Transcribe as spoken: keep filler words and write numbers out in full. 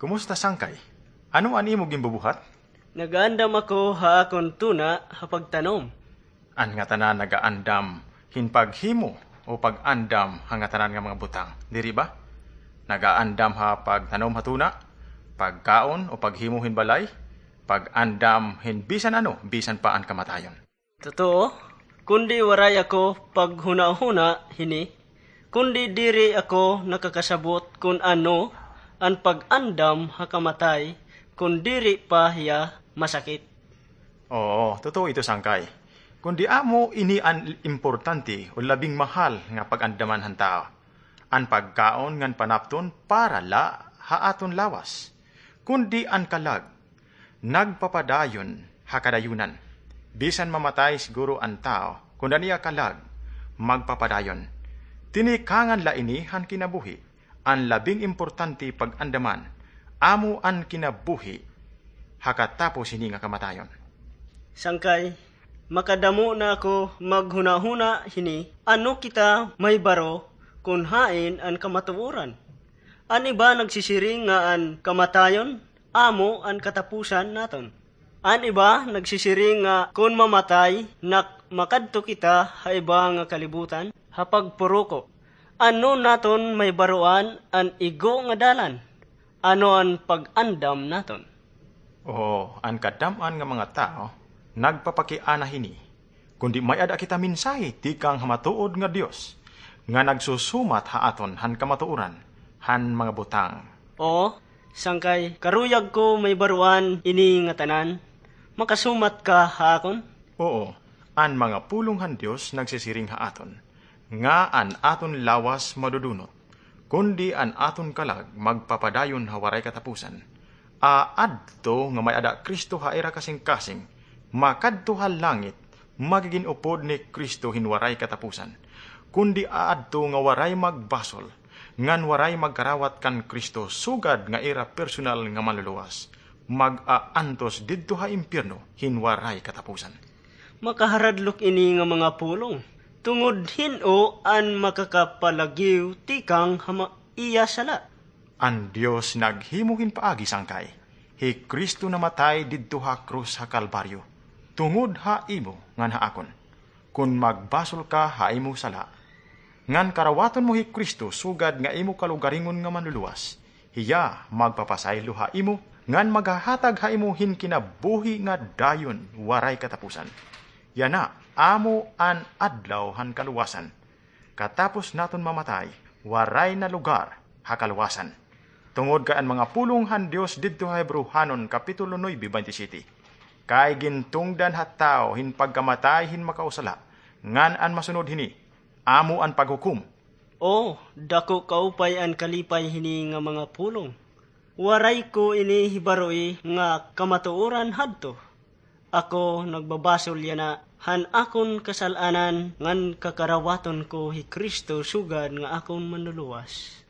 Kumusta, Sangkay? Ano an imo ginbubuhat? Nagaandam ako ha akon tuna ha pagtanom. An ngatanan nagaandam hin paghimo o pag-andam ha ngatanan nga mga butang, diri ba? Nagaandam ha pagtanom ha tuna, pagkaon o paghimo hin balay, pag-andam hin bisan ano, bisan pa an kamatayon. Totoo, kundi waray ako paghunahuna hini, kundi diri ako nakakasabot kon ano an pag-andam ha kamatay kon diri pa hiya masakit. Oo, totoo ito, Sangkay. Kundi amo ini an importante o labing mahal nga pag-andaman han tawo. An pagkaon ngan panapton para la ha aton lawas. Kundi an kalag, nagpapadayon ha kadayunan. Bisan mamatay siguro an tawo, kun an iya kalag, magpapadayon. Tinikangan la ini han kinabuhi. An labing importante pag-andaman, amo an kinabuhi ha katapos hini nga kamatayon. Sangkay, makadamo na ako maghunahuna hini, ano kita mahibaro kon hain an kamatuoran? An iba nagsisiring nga an kamatayon amo an katapusan naton. An iba nagsisiring nga kon mamatay, nak-, makadto kita ha iba nga kalibutan ha pagpuruko. Ano naton mahibaroan an igo nga dalan? Ano an pag-andam naton? Oo, an kadam-an nga mga tawo nagpapakiana hini, kundi may-ada kita mensahe tikang ha matuod nga Dios, nga nagsusumat ha aton han kamatuoran han mga butang. Oo, Sangkay, karuyag ko mahibaroan ini nga tanan. Makasumat ka ha akon? Oo, an mga pulong han Dios nagsisiring ha aton, nga an aton lawas madudunot, kundi an aton kalag magpapadayon ha waray katapusan. Aadto nga may-ada Cristo ha ira kasingkasing, makadto ha langit, magigin upod ni Cristo hin waray katapusan. Kundi aadto nga waray magbasol, ngan waray magkarawat kan Cristo sugad nga ira personal nga Manluluwas, mag-aantos didto ha impyerno hin waray katapusan. Makaharadlok ini nga mga pulong, tungod hin-o an makakapalagiw tikang ha ma-, iya sala? An Dios naghimo hin paagi, Sangkay. Hi Cristo namatay didto ha krus ha Kalbaryo, tungod ha imo ngan ha akon. Kon magbasol ka ha imo sala, ngan karawaton mo hi Cristo sugad nga imo kalugaringon nga Manluluwas, hiya magpapasaylo ha imo, ngan maghahatag ha imo hin kinabuhi nga dayon waray katapusan. Yana amo an adlaw han kaluwasan. Katapos naton mamatay, waray na lugar ha kaluwasan. Tungod kay an mga pulong han Dios didto ha Hebreohanon, Kapitulo nuebe, baynte siyete, kay gintungdan ha tawo hin pagkamatay hin makausala, ngan an masunod hini, amo an paghukom. O, dako kaupay an kalipay hini nga mga pulong. Waray ko ini hibaroi nga kamatuoran hadto. Ako nagbabasol yana han akon kasal-anan ngan kakarawaton ko hi Cristo sugad nga akon Manluluwas.